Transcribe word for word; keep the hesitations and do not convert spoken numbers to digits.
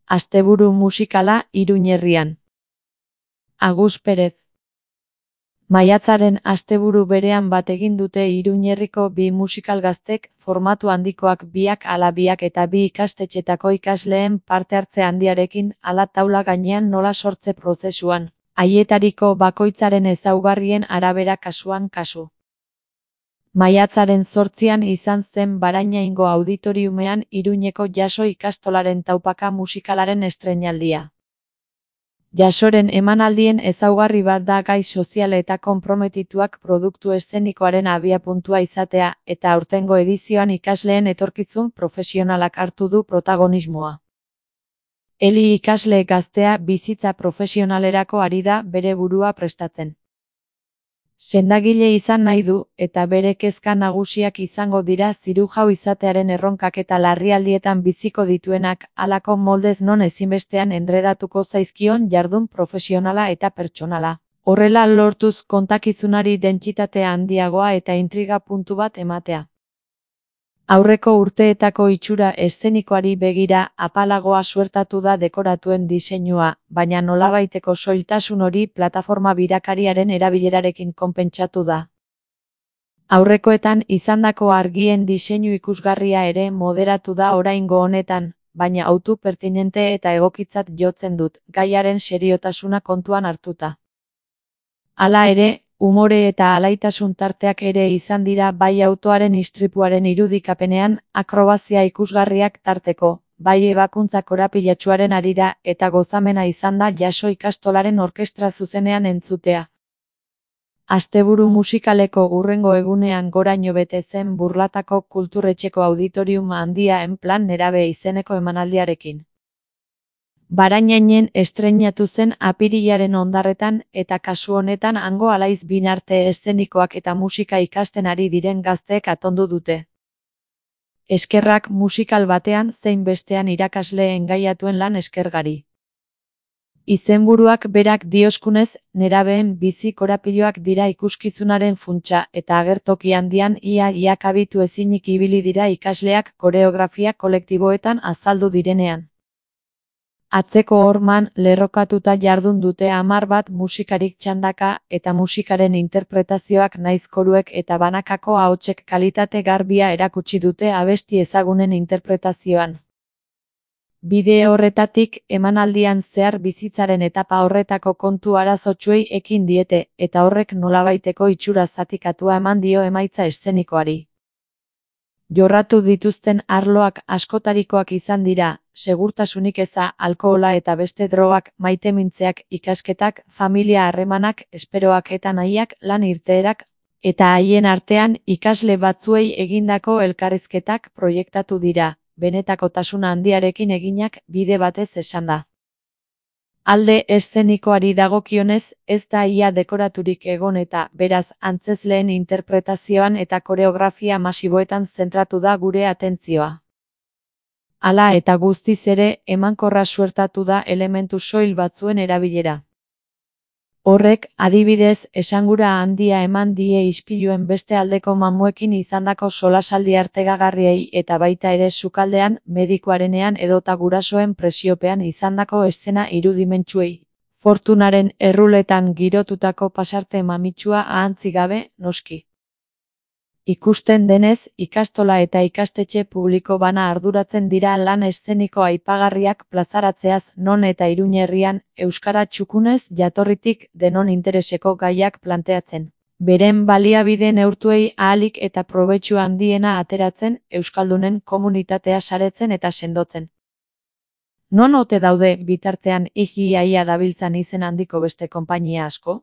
Asteburu musikala Iruñerrian. Agus Perez. Maiatzaren asteburu berean bat egin dute Iruñerriko bi musikal gaztek, formatu handikoak biak ala biak eta bi ikastetxetako ikasleen parte hartze handiarekin, ala taula gainean nola sortze prozesuan, haietariko bakoitzaren ezaugarrien arabera kasuan kasu. Maiatzaren zortzian izan zen Barainaingo auditoriumean Iruñeko Jaso ikastolaren taupaka musikalaren estreinaldia. Jasoren emanaldien ezaugarri bat da gai sozial eta konprometituak produktu eszenikoaren abiapuntua izatea, eta aurtengo edizioan ikasleen etorkizun profesionalak hartu du protagonismoa. Eli ikasle gaztea bizitza profesionalerako ari da bere burua prestatzen. Sendagile izan nahi du, eta bere kezka nagusiak izango dira zirujau izatearen erronkak eta larrialdietan biziko dituenak, halako moldez non ezinbestean endredatuko zaizkion jardun profesionala eta pertsonala. Horrela lortuz kontakizunari dentsitate handiagoa eta intriga puntu bat ematea. Aurreko urteetako itxura eszenikoari begira apalagoa suertatu da dekoratuen diseinua, baina nolabaiteko soiltasun hori plataforma birakariaren erabilerarekin konpentsatu da. Aurrekoetan izandako argien diseinu ikusgarria ere moderatu da oraingo honetan, baina autu pertinente eta egokitzat jotzen dut, gaiaren seriotasuna kontuan hartuta. Hala ere, umore eta alaitasun tarteak ere izan dira bai autoaren istripuaren irudikapenean, akrobazia ikusgarriak tarteko, bai ebakuntza korapilatsuaren harira eta gozamena izan da Jaso ikastolaren orkestra zuzenean entzutea. Asteburu musikaleko hurrengo egunean goraino bete zen Burlatako kulturretxeko auditorium handia en plan nerabe izeneko emanaldiarekin. Barainainen estreinatu zen apirilaren ondarretan eta kasu honetan hango alaiz binarte eszenikoak eta musika ikasten ari diren gazteek atondu dute. Eskerrak musikal batean zein bestean irakasle engaiatuen lan eskergari. Izenburuak berak dioskunez, nerabeen bizi korapiloak dira ikuskizunaren funtsa eta agertoki handian ia-ia kabitu ezinik ibili dira ikasleak koreografia kolektiboetan azaldu direnean. Atzeko horman lerrokatuta jardun dute hamar bat musikarik txandaka eta musikaren interpretazioak naiz koruek eta banakako ahotsek kalitate garbia erakutsi dute abesti ezagunen interpretazioan. Bide horretatik emanaldian zehar bizitzaren etapa horretako kontu arazotsuei ekin diete eta horrek nolabaiteko itxura zatikatua eman dio emaitza eszenikoari. Jorratu dituzten arloak askotarikoak izan dira, segurtasunik eza, alkohola eta beste drogak, maitemintzeak, ikasketak, familia harremanak, esperoak eta nahiak, lan irteerak, eta haien artean ikasle batzuei egindako elkarrizketak proiektatu dira, benetakotasuna handiarekin eginak bide batez esanda. Alde eszenikoari dagokionez, ez da ia dekoraturik egon eta, beraz, antzezleen interpretazioan eta koreografia masiboetan zentratu da gure atentzioa. Hala eta guztiz ere, emankorra suertatu da elementu soil batzuen erabilera. Horrek, adibidez, esangura handia eman die ispiluen beste aldeko mamuekin izandako solasaldi artegagarriei eta baita ere sukaldean, medikuarenean edota gurasoen presiopean izandako eszena irudimentsuei. Fortunaren erruletan girotutako pasarte mamitsua ahantzi gabe, noski. Ikusten denez, ikastola eta ikastetxe publiko bana arduratzen dira lan eszeniko aipagarriak plazaratzeaz non eta Iruñerrian, euskara txukunez jatorritik denon intereseko gaiak planteatzen. Beren baliabide neurtuei ahalik eta probetxu handiena ateratzen, euskaldunen komunitatea saretzen eta sendotzen. Non ote daude bitartean igi iaia dabiltzan izen handiko beste konpainia asko?